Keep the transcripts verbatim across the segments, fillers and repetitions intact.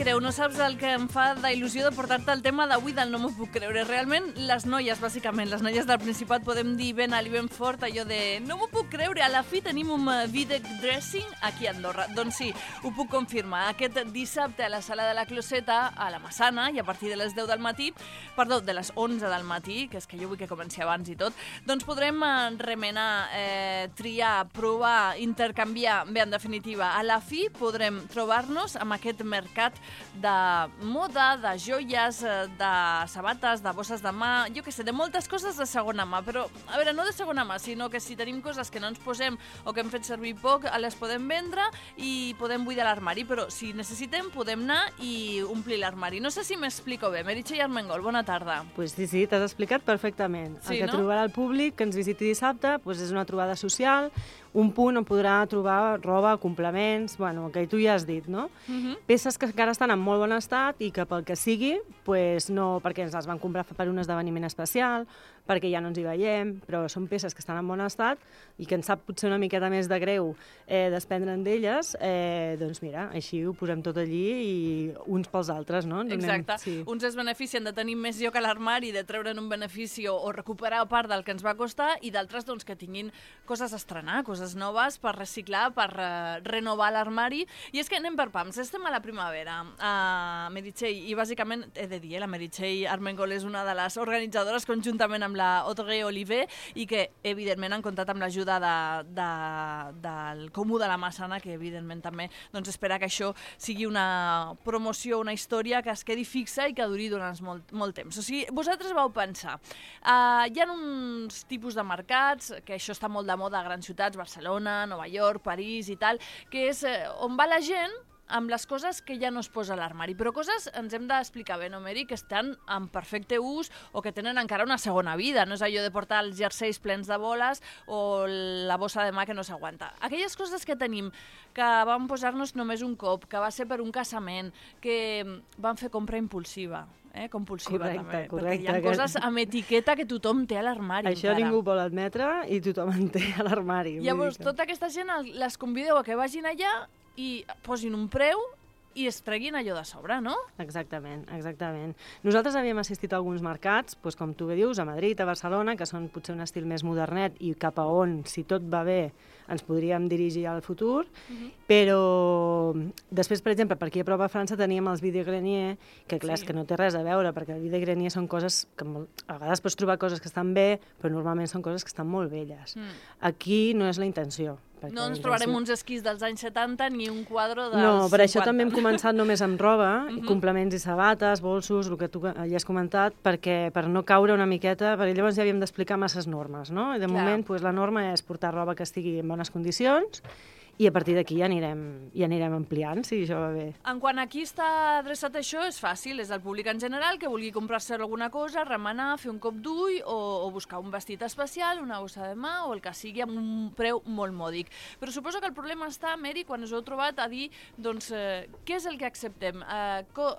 creu, no saps el que em fa d'il·lusió de portar-te el tema d'avui del no m'ho puc creure. Realment, les noies, bàsicament, les noies del Principat podem dir ben alt i ben fort allò de no m'ho puc creure, a la fi tenim un Videc Dressing aquí a Andorra. Doncs sí, ho puc confirmar. Aquest dissabte a la Sala de la Closeta, a la Massana, i a partir de les deu del matí, perdó, de les onze del matí, que és que jo vull que comenci abans i tot, doncs podrem remenar, eh, triar, provar, intercanviar. Bé, en definitiva, a la fi podrem trobar-nos amb aquest mercat de moda, de joies, de sabates, de bosses de mà, jo què sé, de moltes coses de segona mà, però, a veure, no de segona mà, sinó que si tenim coses que no ens posem o que hem fet servir poc, les podem vendre i podem buidar l'armari, però si necessitem podem anar i omplir l'armari. No sé si m'explico bé. Meritxell Armengol, bona tarda. Pues sí, sí, t'has explicat perfectament. Sí, el que no? trobarà el públic que ens visiti dissabte pues és una trobada social, un punt on podrà trobar roba, complements, bueno, el que tu ja has dit, no? Uh-huh. Peces que encara estan en molt bon estat i que pel que sigui, pues no, perquè ens les van comprar per un esdeveniment especial, perquè ja no ens hi veiem, però són peces que estan en bon estat i que ens sap potser una miqueta més de greu eh, desprendre'n d'elles, eh, doncs mira, així ho posem tot allí i uns pels altres, no? Donem, Exacte. sí. Uns es beneficien de tenir més lloc a l'armari, de treure'n un benefici o, o recuperar part del que ens va costar, i d'altres doncs, que tinguin coses a estrenar, coses noves per reciclar, per uh, renovar l'armari. I és que anem per pams, estem a la primavera, a Meritxell, i bàsicament he de dir, eh, la Meritxell Armengol és una de les organitzadores conjuntament amb la Audrey Oliver i que evidentment han comptat amb l'ajuda de, de, del Comú de la Massana, que evidentment també doncs, espera que això sigui una promoció, una història que es quedi fixa i que duri durant molt, molt temps. O sigui, vosaltres vau pensar, uh, hi ha uns tipus de mercats, que això està molt de moda a grans ciutats, Barcelona, Nova York, París i tal, que és eh, on va la gent amb les coses que ja no es posa a l'armari, però coses, ens hem d'explicar bé, no, Meri, que estan en perfecte ús o que tenen encara una segona vida. No és allò de portar els jerseis plens de boles o la bossa de mà que no s'aguanta. Aquelles coses que tenim, que vam posar-nos només un cop, que va ser per un casament, que van fer compra impulsiva, eh, compulsiva Correcte, també, correcte, perquè hi ha que- coses amb etiqueta que tothom té a l'armari. Això encara. ningú vol admetre i tothom en té a l'armari. vull Llavors, dir que- tota aquesta gent les convideu a que vagin allà i posin un preu i es treguin allò de sobre, no? Exactament, exactament. Nosaltres havíem assistit a alguns mercats, doncs, com tu bé dius, a Madrid, a Barcelona, que són potser un estil més modernet i cap a on, si tot va bé, ens podríem dirigir al futur, uh-huh. però després, per exemple, per aquí a prop a França teníem els Vide Grenier, que clar, Sí. és que no té res a veure, perquè el Vide Grenier són coses que molt, a vegades pots trobar coses que estan bé, però normalment són coses que estan molt velles. Mm. Aquí no és la intenció. No ens trobarem uns esquís dels anys setanta ni un quadre dels No, per això cinquanta. també hem començat només amb roba, Mhm. complements i sabates, bolsos, el que tu ja has comentat, perquè per no caure una miqueta, perquè llavors ja havíem d'explicar masses normes, no? I de Clar. moment pues, la norma és portar roba que estigui en bones condicions i a partir d'aquí ja anirem, ja anirem ampliant, si això va bé. En quant a qui està adreçat això, és fàcil, és el públic en general que vulgui comprar-se alguna cosa, remenar, fer un cop d'ull o, o buscar un vestit especial, una bossa de mà o el que sigui amb un preu molt mòdic. Però suposo que el problema està, Meri, quan us heu trobat a dir, doncs, eh, què és el que acceptem? Eh, co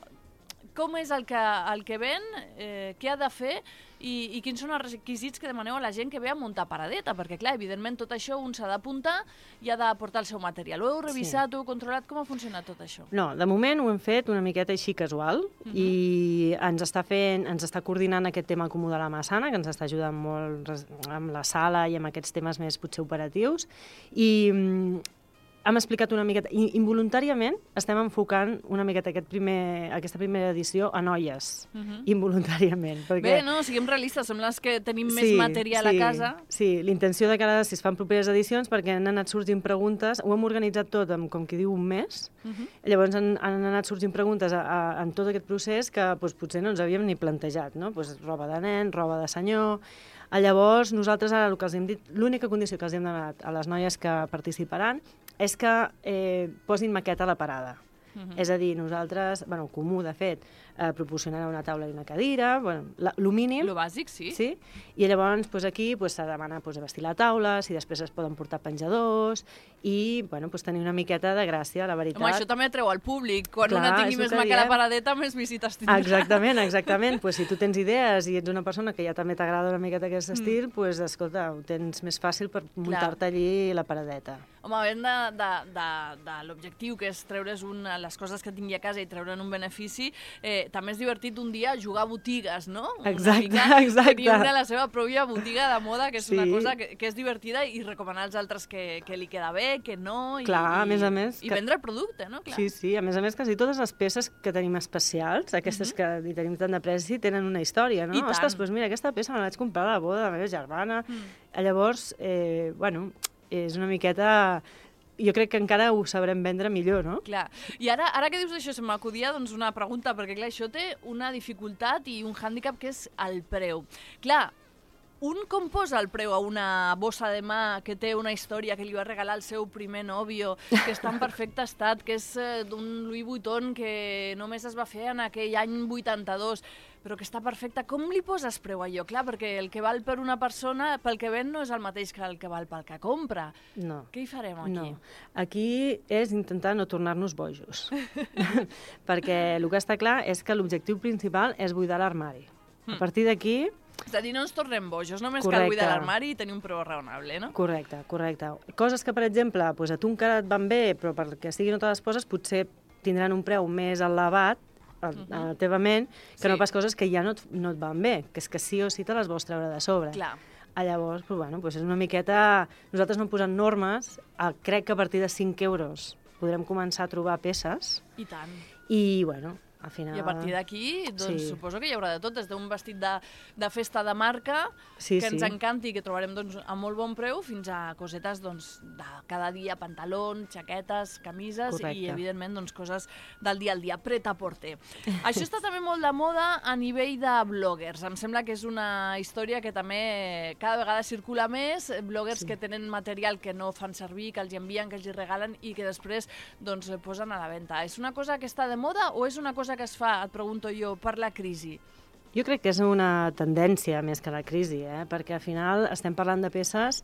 com és el que, el que ven, eh, què ha de fer i, i quins són els requisits que demaneu a la gent que ve a muntar paradeta, perquè clar, evidentment tot això un s'ha d'apuntar i ha de portar el seu material. Ho heu revisat, sí. Ho heu controlat? Com ha funcionat tot això? No, de moment ho hem fet una miqueta així casual uh-huh. i ens està fent, ens està coordinant aquest tema Comú de la Massana, que ens està ajudant molt amb la sala i amb aquests temes més potser operatius, i hem explicat una miqueta, involuntàriament estem enfocant una miqueta aquest primer, aquesta primera edició a noies, uh-huh. involuntàriament. Perquè... Bé, no, siguem realistes, som les que tenim sí, més material sí, a casa. Sí, l'intenció de cara a si es fan properes edicions, perquè han anat sorgint preguntes, ho hem organitzat tot en, com qui diu, un mes, uh-huh. llavors han, han anat sorgint preguntes a, a, en tot aquest procés que doncs, potser no ens havíem ni plantejat, no? Pues, roba de nen, roba de senyor... Llavors, nosaltres ara el que els hem dit, l'única condició que els hem demanat a les noies que participaran és que eh, posin maqueta a la parada. Uh-huh. És a dir, nosaltres, bueno, Comú, de fet, eh, proporcionarà una taula i una cadira, bueno, la, lo mínim. Lo bàsic, sí. Sí, i llavors pues, aquí pues, s'ha de demanar pues, vestir la taula, si després es poden portar penjadors i bueno, pues, tenir una miqueta de gràcia, la veritat. Home, això també atreu al públic. Quan Clar, una tingui més maca a la paradeta, més visites tindrà. Exactament, exactament. Pues, si tu tens idees i ets una persona que ja també t'agrada una miqueta aquest estil, mm. pues, escolta, ho tens més fàcil per muntar-te allí la paradeta. Home, havent de, de, de, de l'objectiu, que és treure's un, les coses que tingui a casa i treure'n un benefici, eh, també és divertit un dia jugar a botigues, no? Exacte, una exacte. Tenir una la seva pròpia botiga de moda, que és sí. una cosa que, que és divertida, i recomanar als altres que, que li queda bé, que no, i, Clar, a i, més a més, i que... vendre el producte, no? Clar. Sí, sí, a més a més, quasi totes les peces que tenim especials, aquestes uh -huh. que hi tenim tant de preci, tenen una història, no? I tant. Ostres, doncs mira, aquesta peça me la vaig comprar a la boda de la meva germana. Mm. Llavors, eh, bueno, és una miqueta... Jo crec que encara ho sabrem vendre millor, no? Clar. I ara, ara que dius això, se m'acudia doncs, una pregunta, perquè clar, això té una dificultat i un hàndicap que és el preu. Clar, un com posa el preu a una bossa de mà que té una història que li va regalar el seu primer nòvio, que està en perfecte estat, que és eh, d'un Louis Vuitton que només es va fer en aquell any vuitanta-dos, però que està perfecta. Com li poses preu a allò? Clar, perquè el que val per una persona, pel que ven, no és el mateix que el que val pel que compra. No. Què hi farem aquí? No. Aquí és intentar no tornar-nos bojos. Perquè el que està clar és que l'objectiu principal és buidar l'armari. A partir d'aquí... És a dir, no ens tornem bojos, només Correcte. cal buidar l'armari i tenir un preu raonable, no? Correcte, correcte. Coses que, per exemple, doncs a tu encara et van bé, però perquè estiguin no te les poses, potser tindran un preu més elevat a, uh -huh. a la teva ment, que sí. no pas coses que ja no et, no et van bé, que és que sí o sí te les vols treure de sobre. Clar. Ah, llavors, doncs, bueno, doncs és una miqueta... Nosaltres no posem normes, ah, crec que a partir de cinc euros podrem començar a trobar peces. I tant. I, bueno... Al final... I a partir d'aquí, doncs, sí. suposo que hi haurà de tot, des d'un vestit de, de festa de marca, sí, que ens sí. encanti i que trobarem doncs, a molt bon preu, fins a cosetes doncs, de cada dia, pantalons, jaquetes, camises. Correcte. I, evidentment, doncs, coses del dia al dia, pret-a-porter. Això està també molt de moda a nivell de bloggers. Em sembla que és una història que també cada vegada circula més, bloggers sí. que tenen material que no fan servir, que els envien, que els regalen i que després doncs, posen a la venda. És una cosa que està de moda o és una cosa que es fa, et pregunto jo, per la crisi? Jo crec que és una tendència més que la crisi, eh? Perquè al final estem parlant de peces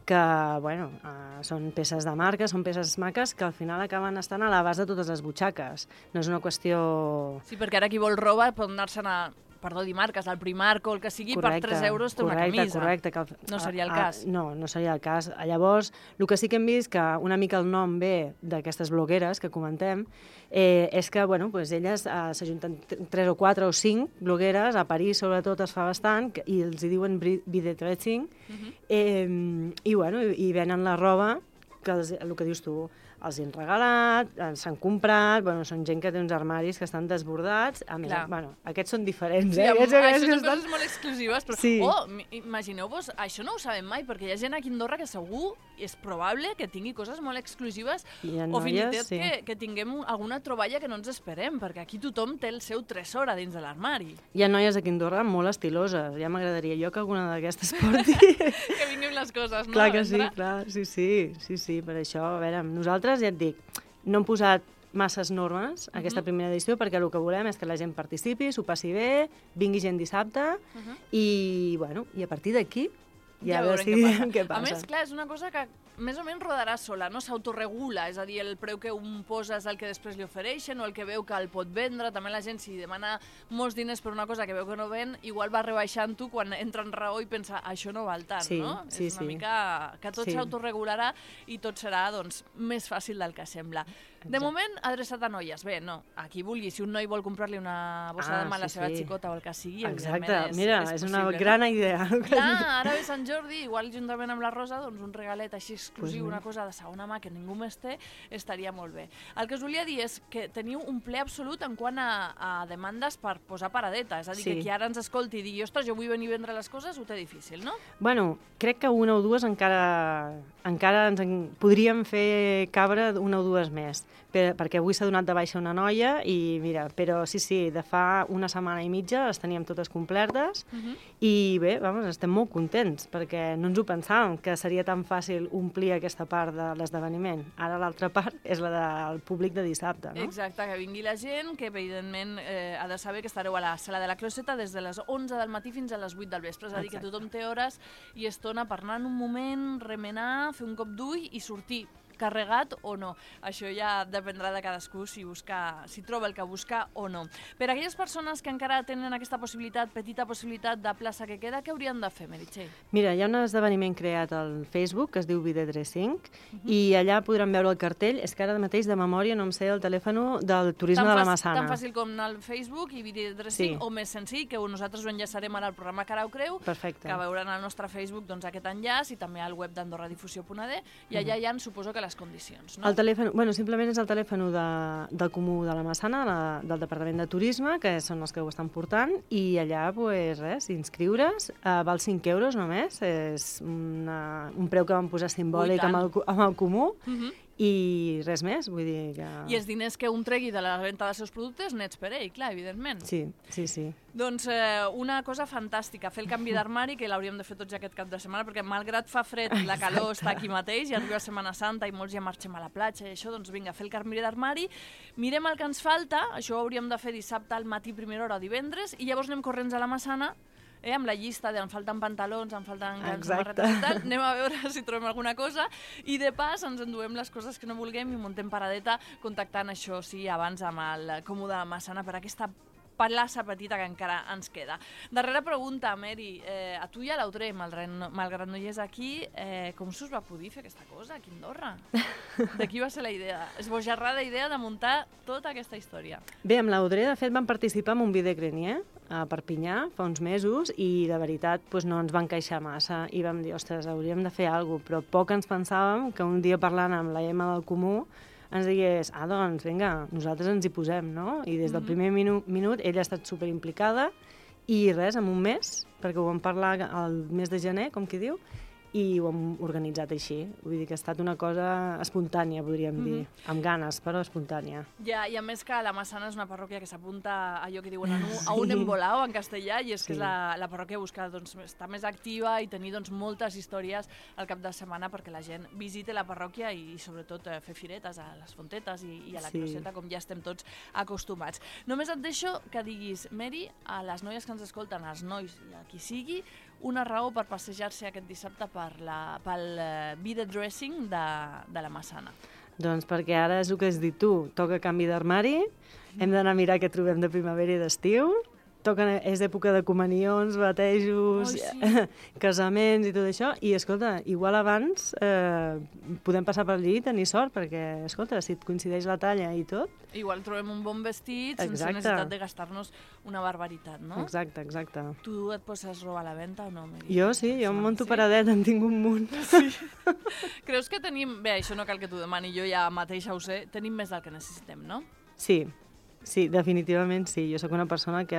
que, bueno, uh, són peces de marca, són peces maques que al final acaben estant a la base de totes les butxaques. No és una qüestió... Sí, perquè ara qui vol roba pot anar-se'n a... perdó, dir marques, al Primark o el que sigui, correcte, per tres euros té correcte, una camisa. Correcte, que... No seria el cas. A, no, no seria el cas. Llavors, el que sí que hem vist, que una mica el nom ve d'aquestes blogueres que comentem, eh, és que, bueno, pues elles eh, s'ajunten tres o quatre o cinc blogueres, a París sobretot es fa bastant, i els hi diuen vide dressing, uh -huh. eh, i, bueno, i, i venen la roba, que els, el que dius tu, els han regalat, s'han comprat, bueno, són gent que té uns armaris que estan desbordats, a més, bueno, aquests són diferents, sí, eh? Aquests, aquests això són estan... coses molt exclusives, però, sí. oh, imagineu-vos, això no ho sabem mai, perquè hi ha gent aquí a Andorra que segur és probable que tingui coses molt exclusives, o fins i tot sí. que, que tinguem alguna troballa que no ens esperem, perquè aquí tothom té el seu tresor a dins de l'armari. Hi ha noies aquí a Andorra molt estiloses, ja m'agradaria jo que alguna d'aquestes porti. Que vinguin les coses, no? Clar que sí, clar, sí, sí, sí, sí, per això, a veure, nosaltres ja et dic, no hem posat masses normes a aquesta primera edició perquè el que volem és que la gent participi, s'ho passi bé, vingui gent dissabte uh -huh. i, bueno, i a partir d'aquí ja, ja decidirem què passa. A més, clar, és una cosa que més o menys rodarà sola, no s'autoregula, és a dir, el preu que un posa és el que després li ofereixen o el que veu que el pot vendre. També la gent, si demana molts diners per una cosa que veu que no ven, igual va rebaixant-ho quan entra en raó i pensa, això no val tant, sí, no? Sí, és una sí. mica que tot sí. s'autoregularà i tot serà doncs, més fàcil del que sembla. De moment, adreçat a noies. Bé, no, a qui vulgui. Si un noi vol comprar-li una bossa ah, de mà a la sí, seva sí. xicota o el que sigui, exacte. és, Mira, és, és possible, una gran no? idea. Clar, ara ve Sant Jordi, igual juntament amb la Rosa, doncs un regalet així exclusiu, pues una cosa de segona mà que ningú més té, estaria molt bé. El que us volia dir és que teniu un ple absolut en quant a, a demandes per posar paradeta, és a dir, sí. que qui ara ens escolti i digui, ostres, jo vull venir a vendre les coses, ho té difícil, no? Bueno, crec que una o dues encara, encara ens en... podríem fer cabre una o dues més, per, perquè avui s'ha donat de baixa una noia i mira, però sí, sí, de fa una setmana i mitja les teníem totes complertes uh -huh. i bé, vamos, estem molt contents perquè no ens ho pensàvem que seria tan fàcil omplir aquesta part de l'esdeveniment. Ara l'altra part és la del públic de dissabte, no? Exacte, que vingui la gent, que evidentment eh, ha de saber que estareu a la sala de la Closeta des de les onze del matí fins a les vuit del vespre, és a dir, que tothom té hores i estona per anar en un moment, remenar, fer un cop d'ull i sortir carregat o no. Això ja dependrà de cadascú si, busca, si troba el que busca o no. Per a aquelles persones que encara tenen aquesta possibilitat, petita possibilitat de plaça que queda, què haurien de fer, Meritxell? Mira, hi ha un esdeveniment creat al Facebook que es diu Videodressing uh -huh. i allà podran veure el cartell. És que ara mateix de memòria no em sé el telèfon del turisme de la Massana. Tan fàcil com anar al Facebook i Videodressing, sí. o més senzill, que nosaltres ho enllaçarem ara al programa Cara o Creu, Perfecte. que veuran al nostre Facebook doncs, aquest enllaç i també al web d'andorradifusió punt a d i allà hi ha, suposo que les condicions, no? El telèfon, bueno, simplement és el telèfon de, del Comú de la Massana, la, del Departament de Turisme, que són els que ho estan portant, i allà, pues, res, inscriure's, eh, val cinc euros només, és una, un preu que vam posar simbòlic amb el, amb el Comú, uh -huh. i res més, vull dir que... I els diners que un tregui de la venda dels seus productes nets per ell, clar, evidentment. Sí, sí, sí. Doncs eh, una cosa fantàstica, fer el canvi d'armari, que l'hauríem de fer tots aquest cap de setmana, perquè malgrat fa fred, la calor està aquí mateix, i arriba Setmana Santa i molts ja marxem a la platja i això, doncs vinga, fer el canvi d'armari, mirem el que ens falta, això ho hauríem de fer dissabte al matí, primera hora o divendres, i llavors anem corrents a la Massana, Eh, amb la llista de em falten pantalons, em falten samarretes i tal, anem a veure si trobem alguna cosa i de pas ens enduem les coses que no vulguem i muntem paradeta contactant això, sí, abans amb el Comú de la Massana per aquesta plaça petita que encara ens queda. Darrera pregunta, Meri, eh, a tu i a l'Audrey, malgrat no hi és aquí, eh, com s'us va poder fer aquesta cosa aquí a Andorra? De qui va ser la idea? Esbojarrada idea de muntar tota aquesta història. Bé, amb l'Audrey, de fet, vam participar en un videogrenier a Perpinyà fa uns mesos i, de veritat, doncs no ens van queixar massa i vam dir, ostres, hauríem de fer alguna cosa, però poc ens pensàvem que un dia parlant amb la Emma del Comú ens digués, ah, doncs, vinga, nosaltres ens hi posem, no? I des del primer minu minut ella ha estat superimplicada i res, en un mes, perquè ho vam parlar el mes de gener, com qui diu, i ho hem organitzat així. Vull dir que ha estat una cosa espontània, podríem mm-hmm. dir. Amb ganes, però espontània. Ja, i a més que la Massana és una parròquia que s'apunta a allò que diuen a, sí. a un embolao en castellà, i és sí. que és la, la parròquia busca doncs, estar més activa i tenir doncs, moltes històries al cap de setmana perquè la gent visiti la parròquia i, i sobretot eh, fer firetes a les fontetes i, i a la sí. closeta, com ja estem tots acostumats. Només et deixo que diguis, Meri, a les noies que ens escolten, als nois i a qui sigui, una raó per passejar-se aquest dissabte per la, pel uh, videodressing de, de la Massana. Doncs perquè ara és el que has dit tu, toca canvi d'armari, mm. hem d'anar a mirar què trobem de primavera i d'estiu, toquen, és època de comunions, batejos, oh, sí. casaments i tot això, i escolta, igual abans eh, podem passar per allí i tenir sort, perquè, escolta, si et coincideix la talla i tot... Igual trobem un bon vestit exacte. sense necessitat de gastar-nos una barbaritat, no? Exacte, exacte. Tu et poses roba a la venda o no, Meri? Jo sí, jo em monto sí? paradet, en tinc un munt. Sí. Creus que tenim... Bé, això no cal que t'ho demani, jo ja mateixa ho sé, tenim més del que necessitem, no? Sí. Sí, definitivament sí. Jo sóc una persona que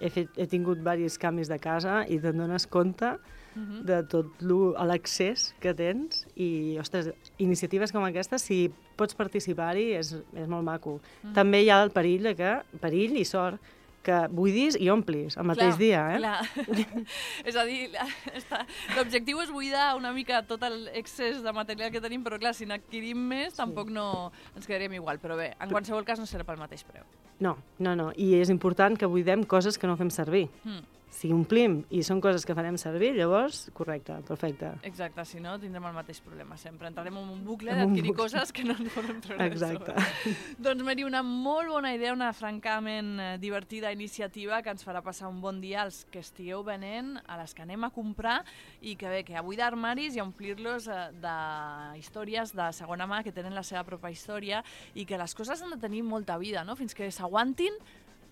he, fet, he tingut diversos canvis de casa i te'n dones compte uh-huh. de tot l'accés que tens i, ostres, iniciatives com aquesta, si pots participar-hi, és, és molt maco. Uh-huh. També hi ha el perill de que, perill i sort, que buidis i omplis el mateix clar, dia, eh? Clar. És a dir, l'objectiu és buidar una mica tot l'excés de material que tenim, però clar, si n'adquirim més, sí. tampoc no ens quedaríem igual. Però bé, en qualsevol cas no serà pel mateix preu. No, no, no. I és important que buidem coses que no fem servir. Mm. Si omplim i són coses que farem servir, llavors, correcte, perfecte. Exacte, si no, tindrem el mateix problema sempre. Entrarem en un bucle d'adquirir coses que no ens podem treure. Exacte. Doncs, Meri, una molt bona idea, una francament divertida iniciativa que ens farà passar un bon dia als que estigueu venent, a les que anem a comprar, i que bé, que a buidar armaris i a omplir-los de històries de segona mà que tenen la seva pròpia història i que les coses han de tenir molta vida, no? Fins que s'aguantin.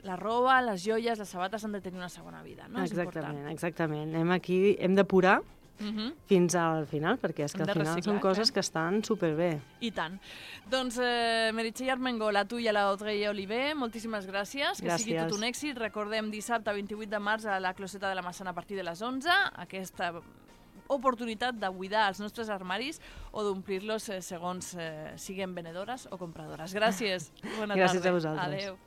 La roba, les joies, les sabates han de tenir una segona vida, no? Exactament, exactament. Hem aquí, hem d'apurar uh-huh. fins al final, perquè és que al final són coses que estan superbé. I tant. Doncs, eh, Meritxell Armengol, a tu i a l'Audrey Oliver, moltíssimes gràcies. Que gràcies. sigui tot un èxit. Recordem, dissabte vint-i-vuit de març a la closeta de la Massana a partir de les onze, aquesta oportunitat de buidar els nostres armaris o d'omplir-los eh, segons eh, siguem venedores o compradores. Gràcies. Bona gràcies tarda. a vosaltres. Adéu.